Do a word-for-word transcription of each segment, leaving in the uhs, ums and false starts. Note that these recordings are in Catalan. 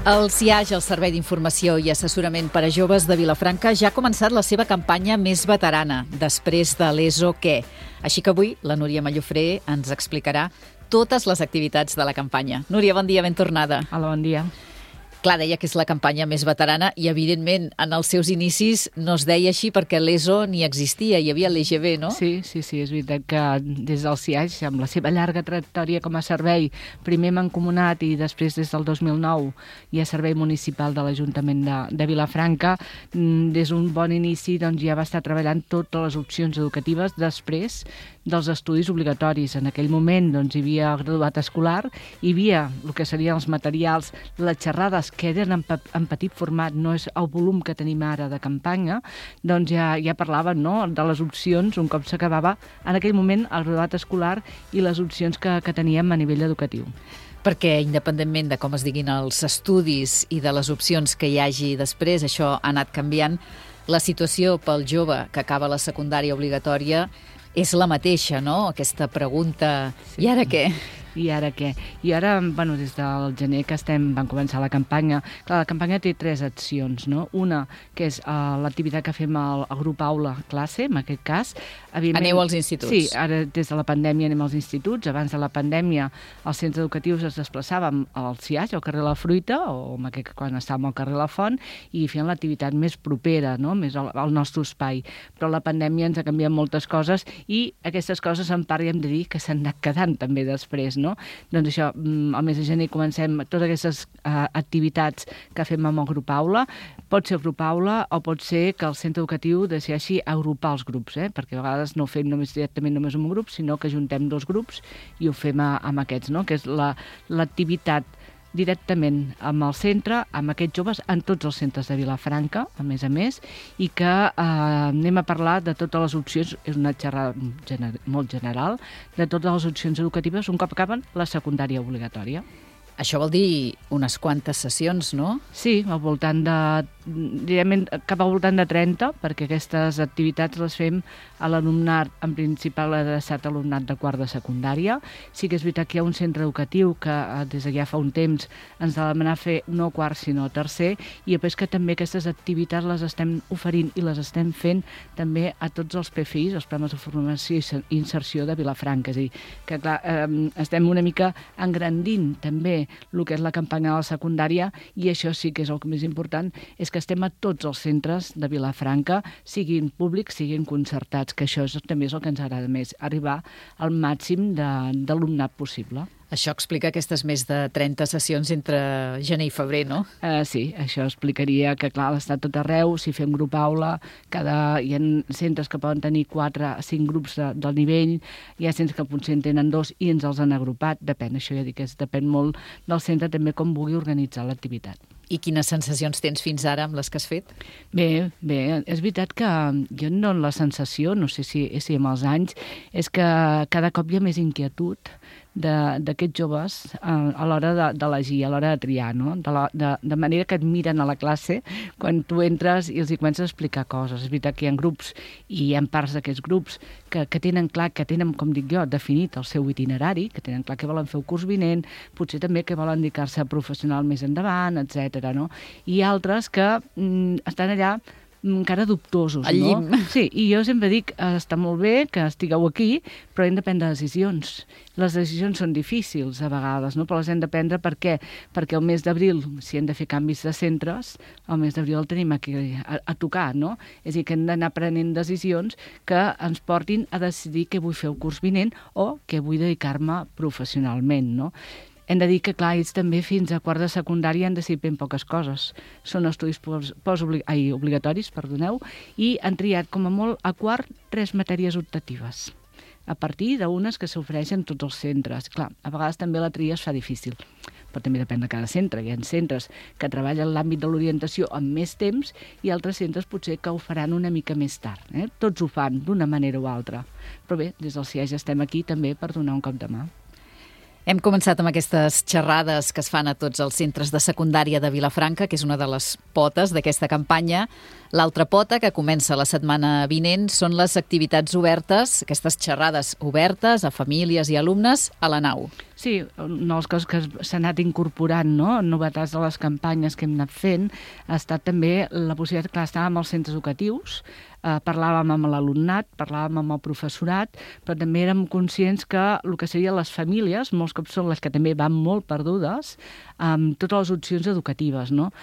El C I A J, el Servei d'Informació i Assessorament per a Joves de Vilafranca, ja ha començat la seva campanya més veterana, després de l'E S O Què. Així que avui la Núria Mallofré ens explicarà totes les activitats de la campanya. Núria, bon dia, ben tornada. Hola, bon dia. Clar, deia que és la campanya més veterana i, evidentment, en els seus inicis no es deia així perquè l'E S O ni existia, hi havia l'E G B, no? Sí, sí, sí, és veritat que des del C I A J, amb la seva llarga trajectòria com a servei, primer mancomunat i després des del dos mil nou hi ha servei municipal de l'Ajuntament de, de Vilafranca, des d'un bon inici doncs, ja va estar treballant totes les opcions educatives després dels estudis obligatoris. En aquell moment doncs, hi havia graduat escolar, hi havia el que serien els materials, les xerrades que eren en, en petit format, no és el volum que tenim ara de campanya, doncs ja, ja parlaven, no?, de les opcions un cop s'acabava en aquell moment el graduat escolar i les opcions que, que teníem a nivell educatiu. Perquè, independentment de com es diguin els estudis i de les opcions que hi hagi després, això ha anat canviant, la situació pel jove que acaba la secundària obligatòria és la mateixa, no? Aquesta pregunta, sí. I ara què? I ara què? I ara, bueno, des del gener que estem, van començar la campanya. Clar, la campanya té tres accions, no? Una, que és uh, l'activitat que fem al, al grup aula classe, en aquest cas. Aneu als instituts. Sí, ara des de la pandèmia anem als instituts. Abans de la pandèmia els centres educatius es desplaçàvem al C I A J, al carrer La Fruita, o en aquest, quan estàvem al carrer La Font, i fèiem l'activitat més propera, no?, més al, al nostre espai. Però la pandèmia ens ha canviat moltes coses i aquestes coses en part hem de dir que s'han anat quedant també després, no? Doncs això, al mes de gener comencem totes aquestes uh, activitats que fem amb el grup aula. Pot ser grup aula o pot ser que el centre educatiu decideixi agrupar els grups, eh? Perquè a vegades no ho fem només directament només un grup, sinó que juntem dos grups i ho fem a, amb aquests, no?, que és la, l'activitat directament amb el centre, amb aquests joves, en tots els centres de Vilafranca, a més a més, i que eh, anem a parlar de totes les opcions, és una xerrada gener, molt general, de totes les opcions educatives un cop acaben la secundària obligatòria. Això vol dir unes quantes sessions, no? Sí, al voltant de, diríem, cap al voltant de trenta, perquè aquestes activitats les fem a l'alumnat, en principal adreçat a l'alumnat de quart de secundària. Sí que és veritat que hi ha un centre educatiu que des de ja fa un temps ens ha demanat fer no quart sinó tercer, i després que també aquestes activitats les estem oferint i les estem fent també a tots els P F Is, els programes de formació i inserció de Vilafranca. És a dir, que clar, eh, estem una mica engrandint també el que és la campanya de la secundària, i això sí que és el més important, és que estem a tots els centres de Vilafranca, siguin públics, siguin concertats, que això és, també és el que ens agrada més, arribar al màxim d'alumnat possible. Això explica aquestes més de trenta sessions entre gener i febrer, no? Uh, sí, això explicaria que, clar, està tot arreu, si fem grup aula, cada, hi ha centres que poden tenir quatre a cinc grups de, del nivell, hi ha centres que potser en tenen dos i ens els han agrupat, depèn, això ja dic que depèn molt del centre també com vulgui organitzar l'activitat. I quines sensacions tens fins ara amb les que has fet? Bé, bé, és veritat que jo no la sensació, no sé si, si amb els anys, és que cada cop hi ha més inquietud d'aquests joves a l'hora d'elegir, a l'hora de triar, no? De, la, de, de manera que et miren a la classe quan tu entres i els hi comences a explicar coses. És veritat que hi ha grups i hi ha parts d'aquests grups que, que tenen clar, que tenen, com dic jo, definit el seu itinerari, que tenen clar que volen fer el curs vinent, potser també que volen dedicar-se a professional més endavant, etcètera. No? I altres que mm, estan allà encara dubtosos, al llim. No? Sí, i jo sempre dic, està molt bé que estigueu aquí, però hem de prendre decisions. Les decisions són difícils a vegades, no? Però les hem de prendre per què? Perquè el mes d'abril, si hem de fer canvis de centres, el mes d'abril el tenim aquí a, a tocar, no? És a dir, que hem d'anar prenent decisions que ens portin a decidir què vull fer el curs vinent o què vull dedicar-me professionalment, no? Hem de dir que, clar, ells també fins a quart de secundària han decidit ben poques coses. Són estudis post-obligatoris, perdoneu, i han triat com a molt a quart tres matèries optatives, a partir d'unes que s'ofereixen tots els centres. Clar, a vegades també la tria es fa difícil, però també depèn de cada centre. Hi ha centres que treballen l'àmbit de l'orientació amb més temps i altres centres potser que ho faran una mica més tard. Eh? Tots ho fan d'una manera o altra. Però bé, des del C I A J estem aquí també per donar un cop de mà. Hem començat amb aquestes xerrades que es fan a tots els centres de secundària de Vilafranca, que és una de les potes d'aquesta campanya. L'altra pota, que comença la setmana vinent, són les activitats obertes, aquestes xerrades obertes a famílies i alumnes a la nau. Sí, una de les coses que s'ha anat incorporant, no?, novetats de les campanyes que hem anat fent, ha estat també la possibilitat, clar, estàvem als centres educatius, eh, parlàvem amb l'alumnat, parlàvem amb el professorat, però també érem conscients que el que serien les famílies, molts cops són les que també van molt perdudes, amb totes les opcions educatives, no?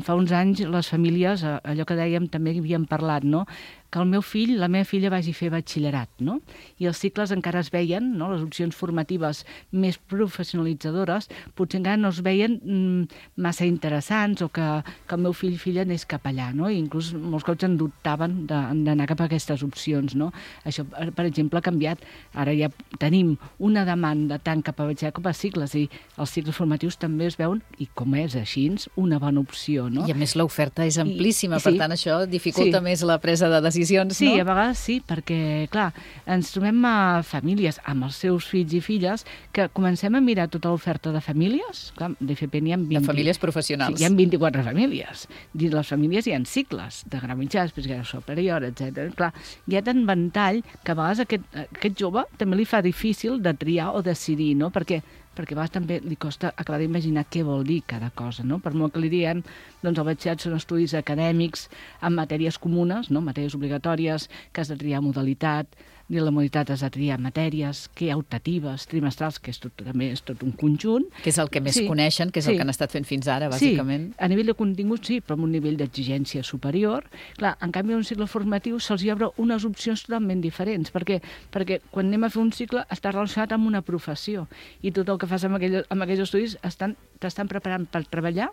Fa uns anys les famílies, allò que dèiem, també havíem parlat, no?, que el meu fill, la meva filla vagi a fer batxillerat, no? I els cicles encara es veien, no?, les opcions formatives més professionalitzadores, potser encara no es veien mm, massa interessants o que, que el meu fill i filla anés cap allà, no? I inclús molts cops en dubtaven d'anar cap a aquestes opcions, no? Això, per exemple, ha canviat. Ara ja tenim una demanda tant cap a batxillerat com a cicles, i els cicles formatius també es veuen, i com és així, una bona opció, no? I a més l'oferta és amplíssima, I, i per sí, tant això dificulta sí. més la presa de decisions. Sí, no? A vegades sí, perquè, clar, ens trobem a famílies amb els seus fills i filles que comencem a mirar tota l'oferta de famílies. Clar, d'F P n'hi ha vint... De famílies professionals. Sí, hi ha vint-i-quatre famílies. Dins les famílies hi ha cicles de grau mitjà, després grau superior, etcètera. Clar, hi ha tant ventall que a vegades aquest, aquest jove també li fa difícil de triar o decidir, no? Perquè perquè a vegades també li costa acabar d'imaginar què vol dir cada cosa, no? Per molt que li diem, doncs el batxillerat són estudis acadèmics amb matèries comunes, no?, matèries obligatòries, que has de triar modalitat, i la modalitat has de triar matèries, que hi ha optatives, trimestrals, que és tot, també és tot un conjunt. Que és el que més sí, coneixen, que és sí. el que han estat fent fins ara, bàsicament. Sí, a nivell de contingut sí, però amb un nivell d'exigència superior. Clar, en canvi, en un cicle formatiu se'ls obre unes opcions totalment diferents, perquè, perquè quan anem a fer un cicle està relacionat amb una professió, i tot el que fas amb, aquell, amb aquells estudis estan, t'estan preparant per treballar,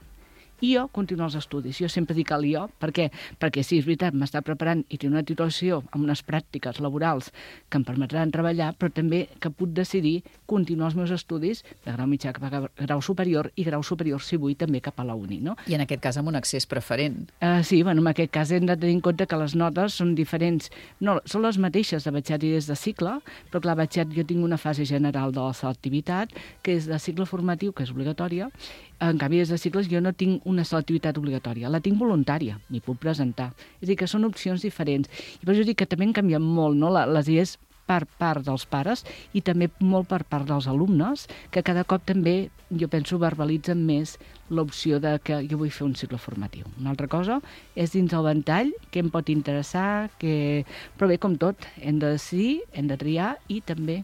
i jo continuo els estudis. Jo sempre dic el jo, perquè, perquè sí, és veritat, m'està preparant i tinc una titulació amb unes pràctiques laborals que em permetran treballar, però també que puc decidir continuar els meus estudis de grau mitjà cap a grau superior, i grau superior, si vull, també cap a la uni, no? I en aquest cas amb un accés preferent. Uh, sí, bueno, en aquest cas hem de tenir en compte que les notes són diferents. No, són les mateixes de batxillerat i des de cicle, però clar, batxillerat jo tinc una fase general de la selectivitat, que és de cicle formatiu, que és obligatòria. En canvi, des de cicles jo no tinc una selectivitat obligatòria, la tinc voluntària, m'hi puc presentar. És a dir, que són opcions diferents. I per això dic que també han canviat molt, no?, les idees per part dels pares i també molt per part dels alumnes, que cada cop també, jo penso, verbalitzen més l'opció de que jo vull fer un cicle formatiu. Una altra cosa és dins el ventall, què em pot interessar, que... però bé, com tot, hem de decidir, hem de triar i també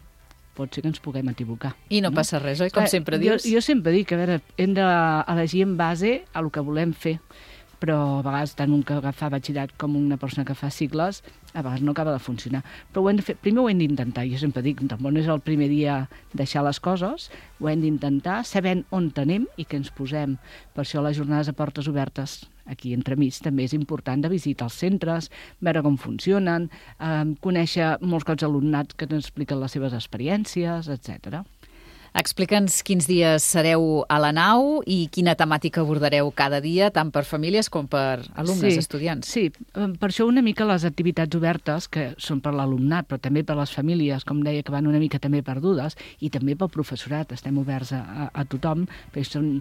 pot ser que ens puguem equivocar. I no, no? passa res, oi? Com Clar, sempre dius. Jo, jo sempre dic, a veure, hem d'elegir en base a el que volem fer, però a vegades tant un que fa batxillerat com una persona que fa cicles, a vegades no acaba de funcionar. Però ho hem de fer, primer ho hem d'intentar, jo sempre dic, tampoc no és el primer dia deixar les coses, ho hem d'intentar, sabent on tenim i que ens posem. Per això les jornades a portes obertes aquí entremig també és important de visitar els centres, veure com funcionen, eh, conèixer molts cops alumnats que ens expliquen les seves experiències, etcètera. Explica'ns quins dies sereu a la nau i quina temàtica abordareu cada dia, tant per famílies com per alumnes, sí, estudiants. Sí, per això una mica les activitats obertes, que són per l'alumnat, però també per les famílies, com deia, que van una mica també perdudes, i també pel professorat, estem oberts a, a, a tothom, perquè són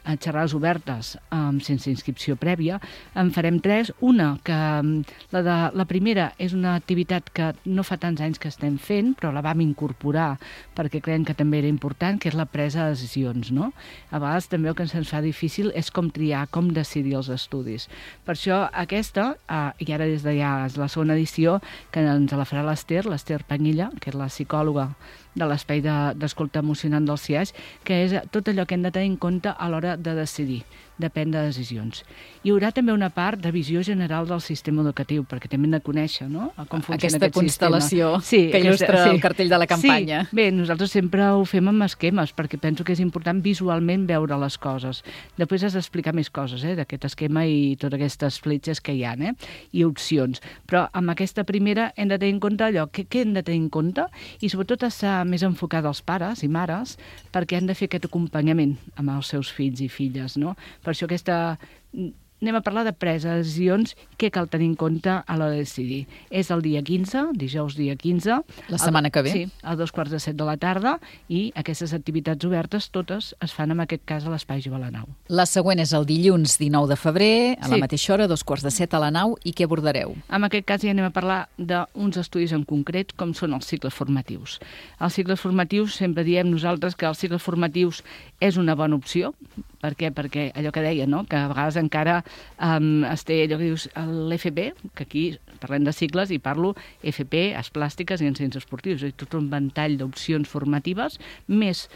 a xerrades obertes um, sense inscripció prèvia. En farem tres. Una, que la, de, la primera és una activitat que no fa tants anys que estem fent, però la vam incorporar perquè creiem que també era important, que és la presa de decisions, no? A vegades també el que ens fa difícil és com triar, com decidir els estudis. Per això aquesta, uh, i ara des de ja és la segona edició, que ens la farà l'Ester, l'Ester Panyilla, que és la psicòloga de l'espai d'escolta emocionant del C I A S, que és tot allò que hem de tenir en compte a l'hora de decidir, de prendre decisions. Hi haurà també una part de visió general del sistema educatiu, perquè també hem de conèixer, no?, com funciona aquesta aquest constel·lació sí, que il·lustra aquesta, sí. el cartell de la campanya. Sí, bé, nosaltres sempre ho fem amb esquemes, perquè penso que és important visualment veure les coses. Després has d'explicar més coses, eh, d'aquest esquema i totes aquestes fletxes que hi ha, eh, i opcions. Però amb aquesta primera hem de tenir en compte allò, què, què hem de tenir en compte, i sobretot estar més enfocat als pares i mares, perquè han de fer aquest acompanyament amb els seus fills i filles, no? Per això aquesta anem a parlar de presa de decisions, què cal tenir en compte a l'hora de decidir. És el dia quinze, dijous dia quinze. La setmana que ve. Sí, a dos quarts de set de la tarda, i aquestes activitats obertes totes es fan en aquest cas a l'Espai Jove a la Nau. La següent és el dilluns dinou de febrer, a la Sí. mateixa hora, a dos quarts de set a la Nau, i què abordareu? En aquest cas ja anem a parlar d'uns estudis en concret, com són els cicles formatius. Els cicles formatius, sempre diem nosaltres que els cicles formatius és una bona opció. Per què? Perquè allò que deia, no? Que a vegades encara um, es té allò que dius l'F P, que aquí parlem de cicles i parlo F P, arts plàstiques i ensenyaments esportius. És tot un ventall d'opcions formatives, més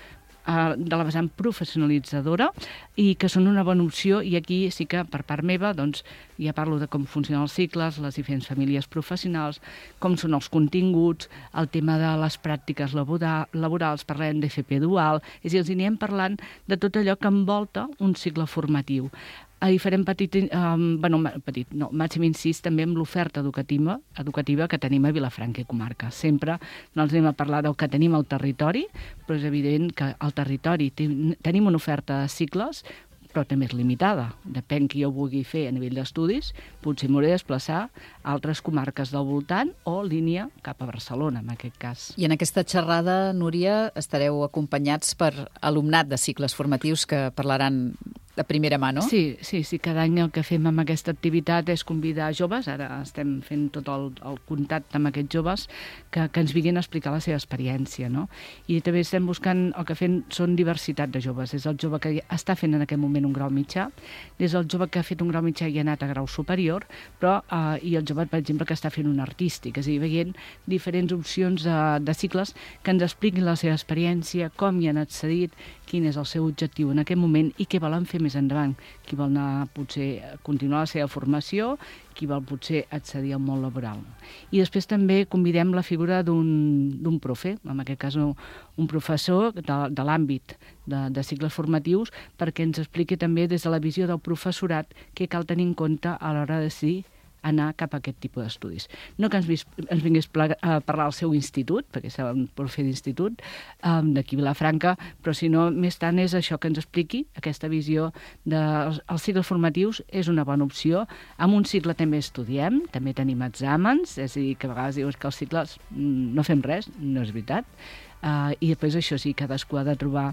uh, de la vessant professionalitzadora, i que són una bona opció, i aquí sí que per part meva doncs, ja parlo de com funcionen els cicles, les diferents famílies professionals, com són els continguts, el tema de les pràctiques labora, laborals, parlem d'F P dual, és a dir, els anirem parlant de tot allò que envolta un cicle formatiu. Hi farem petit, um, bueno, petit, no, màxim incís també amb l'oferta educativa, educativa que tenim a Vilafranca i comarca. Sempre no ens anem a parlar del que tenim al territori, però és evident que al territori ten, tenim una oferta de cicles, però també és limitada. Depèn qui ho vulgui fer a nivell d'estudis, potser m'hauré de desplaçar a altres comarques del voltant o línia cap a Barcelona, en aquest cas. I en aquesta xerrada, Núria, estareu acompanyats per alumnat de cicles formatius que parlaran de primera mà, no? Sí, sí, sí, cada any el que fem amb aquesta activitat és convidar joves, ara estem fent tot el, el contacte amb aquests joves, que, que ens vinguin a explicar la seva experiència, no? I també estem buscant, el que fem són diversitat de joves, és el jove que està fent en aquest moment un grau mitjà, és el jove que ha fet un grau mitjà i ha anat a grau superior, però, eh, i el jove, per exemple, que està fent un artístic, és a dir, veient diferents opcions de, de cicles que ens expliquin la seva experiència, com hi han accedit, quin és el seu objectiu en aquest moment i què volen fer més endavant. Qui vol anar, potser, a continuar la seva formació, qui vol potser accedir al món laboral. I després també convidem la figura d'un profe, en aquest cas un professor de, de l'àmbit de, de cicles formatius, perquè ens expliqui també des de la visió del professorat què cal tenir en compte a l'hora de decidir anar cap a aquest tipus d'estudis. No que ens, vis, ens vingués a parlar al seu institut, perquè és un profe d'institut, um, d'aquí Vilafranca, però si no, més tant és això que ens expliqui, aquesta visió dels de, cicles formatius és una bona opció. En un cicle també estudiem, també tenim exàmens, és a dir, que a vegades dius que els cicles no fem res, no és veritat. Uh, I després això sí, cadascú ha de trobar,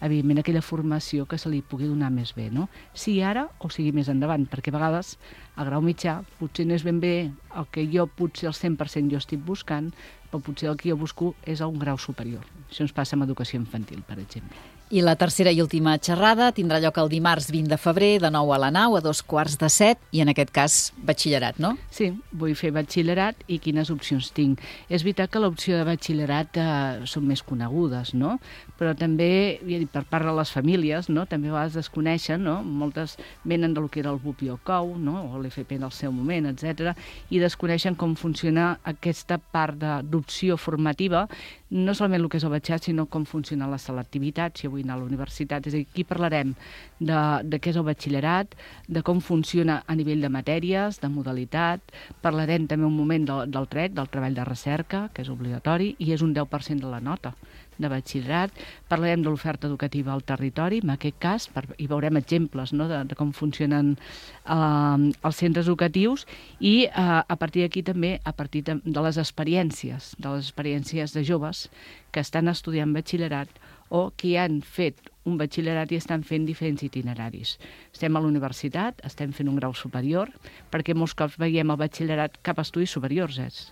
evidentment, aquella formació que se li pugui donar més bé, no? Sigui ara o sigui més endavant, perquè a vegades el grau mitjà potser no és ben bé el que jo potser al cent per cent jo estic buscant, però potser el que jo busco és a un grau superior. Això ens passa amb educació infantil, per exemple. I la tercera i última xerrada tindrà lloc el dimarts vint de febrer, de nou a la Nau, a dos quarts de set, i en aquest cas batxillerat, no? Sí, vull fer batxillerat i quines opcions tinc. És veritat que l'opció de batxillerat eh, són més conegudes, no? Però també, ja dic, per part de les famílies, no? També a vegades desconeixen, no? Moltes venen del que era el B U P i el C O U, no? O l'F P en el seu moment, etcètera, i desconeixen com funciona aquesta part d'opció formativa, no solament el que és el batxillerat, sinó com funciona la selectivitat, si vull anar a la universitat. És a dir, aquí parlarem de, de què és el batxillerat, de com funciona a nivell de matèries, de modalitat, parlarem també un moment del, del T R E C, del treball de recerca, que és obligatori, i és un deu per cent de la nota de batxillerat. Parlarem de l'oferta educativa al territori, en aquest cas, per, i veurem exemples, no?, de, de com funcionen eh, els centres educatius, i eh, a partir d'aquí també, a partir de, de les experiències, de les experiències de joves que estan estudiant batxillerat o que han fet un batxillerat i estan fent diferents itineraris. Estem a la universitat, estem fent un grau superior, perquè molts cops veiem el batxillerat cap a estudis superiors, és.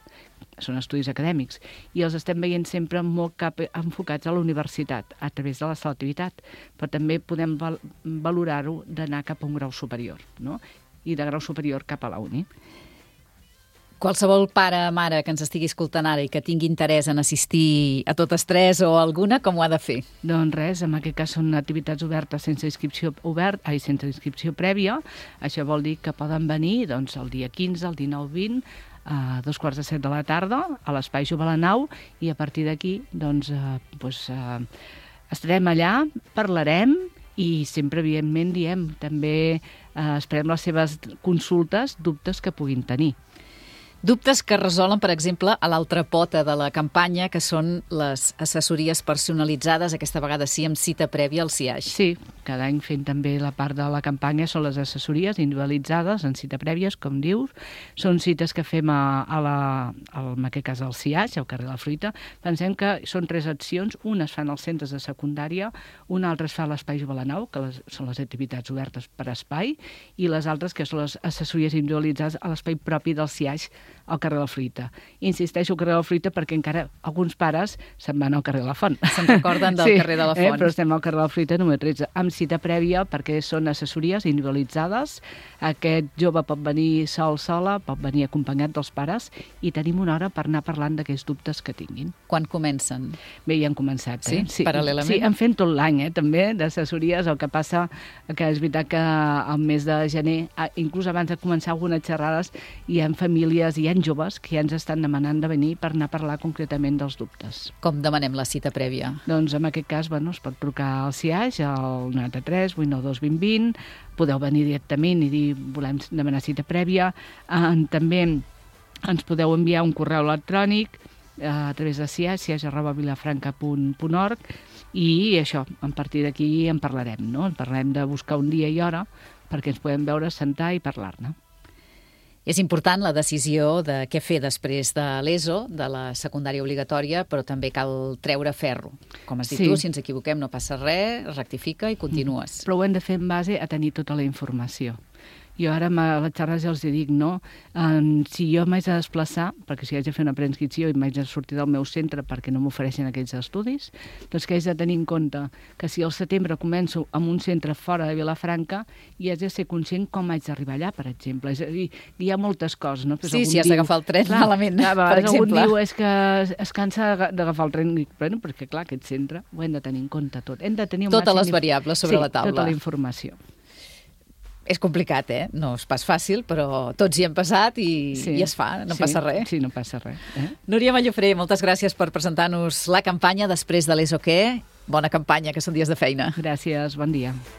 Són estudis acadèmics, i els estem veient sempre molt cap, enfocats a la universitat, a través de la selectivitat, però també podem val, valorar-ho d'anar cap a un grau superior, no? I de grau superior cap a la uni. Qualsevol pare o mare que ens estigui escoltant ara i que tingui interès en assistir a totes tres o alguna, com ho ha de fer? Doncs res, en aquest cas són activitats obertes sense inscripció obert, ai, sense inscripció prèvia. Això vol dir que poden venir doncs, el dia quinze, el dinou, vint, a dos quarts de set de la tarda, a l'Espai Jove a la Nau, i a partir d'aquí doncs, eh, doncs, eh, estarem allà, parlarem, i sempre, evidentment, diem, també eh, esperem les seves consultes, dubtes que puguin tenir. Dubtes que resolen, per exemple, a l'altra pota de la campanya, que són les assessories personalitzades, aquesta vegada sí amb cita prèvia al C I A X. Sí, cada any fent també la part de la campanya són les assessories individualitzades en cita prèvies, com dius. Són cites que fem a, a la, al, en aquest cas al C I A X, al carrer La Fruita. Pensem que són tres accions, una es fan als centres de secundària, una altra es fa a l'Espai Jovelanau, que les, són les activitats obertes per espai, i les altres que són les assessories individualitzades a l'espai propi del C I A X al carrer La Fruita. Insisteixo al carrer La Fruita perquè encara alguns pares se'n van al carrer La Font. Se'n recorden del sí, carrer de la Font. Eh, però estem al carrer La Fruita número tretze, amb cita prèvia perquè són assessories individualitzades. Aquest jove pot venir sol, sola, pot venir acompanyat dels pares i tenim una hora per anar parlant d'aquells dubtes que tinguin. Quan comencen? Bé, ja han començat. Eh? Sí, paral·lelament? Sí, en fem tot l'any, eh, també, d'assessories. El que passa que és veritat que al mes de gener, inclús abans de començar algunes xerrades, hi ha famílies, hi ha joves que ja ens estan demanant de venir per anar a parlar concretament dels dubtes. Com demanem la cita prèvia? Doncs en aquest cas, bueno, es pot trucar al C I A X, al noranta-tres vuit nou dos vint vint, podeu venir directament i dir volem demanar cita prèvia. Eh, també ens podeu enviar un correu electrònic eh, a través de C I A X, c i a x arroba vilafranca punt org, i això, a partir d'aquí en parlarem, no? En parlarem de buscar un dia i hora perquè ens podem veure, sentar i parlar-ne. És important la decisió de què fer després de l'ESO, de la secundària obligatòria, però també cal treure ferro. Com has dit Sí. tu, si ens equivoquem no passa res, rectifica i continues. Però ho hem de fer en base a tenir tota la informació. Jo ara a les xerrades ja els dic, no? Um, si jo m'haig de desplaçar, perquè si haig de fer una preinscripció i m'haig de sortir del meu centre perquè no m'ofereixen aquells estudis, doncs que haig de tenir en compte que si al setembre començo en un centre fora de Vilafranca i haig de ser conscient com haig d'arribar allà, per exemple. És a dir, hi ha moltes coses, no? Però Sí, si has d'agafar el tren clar, malament, clar, per exemple. Algun diu és que es cansa d'agafar el tren, bueno, perquè clar, aquest centre ho hem de tenir en compte tot. Hem de tenir un Totes màxim les variables sobre sí, la taula. tota la informació. És complicat, eh? No és pas fàcil, però tots hi hem passat i, Sí, i es fa, no sí, passa res. Sí, no passa res. Eh? Núria Mallofré, moltes gràcies per presentar-nos la campanya després de l'ESO Què. Bona campanya, que són dies de feina. Gràcies, bon dia.